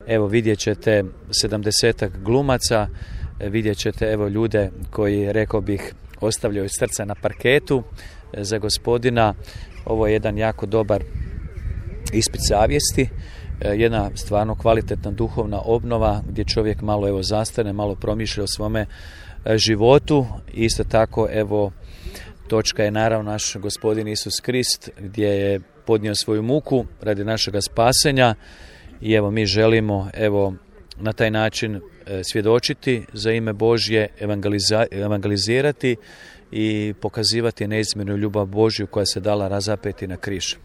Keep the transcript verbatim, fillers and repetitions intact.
Evo vidjet ćete sedamdesetak glumaca, vidjet ćete evo ljude koji, rekao bih, ostavljaju srca na parketu za Gospodina. Ovo je jedan jako dobar ispit savjesti, jedna stvarno kvalitetna duhovna obnova gdje čovjek malo evo zastane, malo promišlja o svome životu. Isto tako evo točka je naravno naš Gospodin Isus Krist gdje je podnio svoju muku radi našega spasenja i evo mi želimo evo na taj način svjedočiti za ime Božje, evangelizirati i pokazivati neizmjernu ljubav Božju koja se dala razapeti na križ.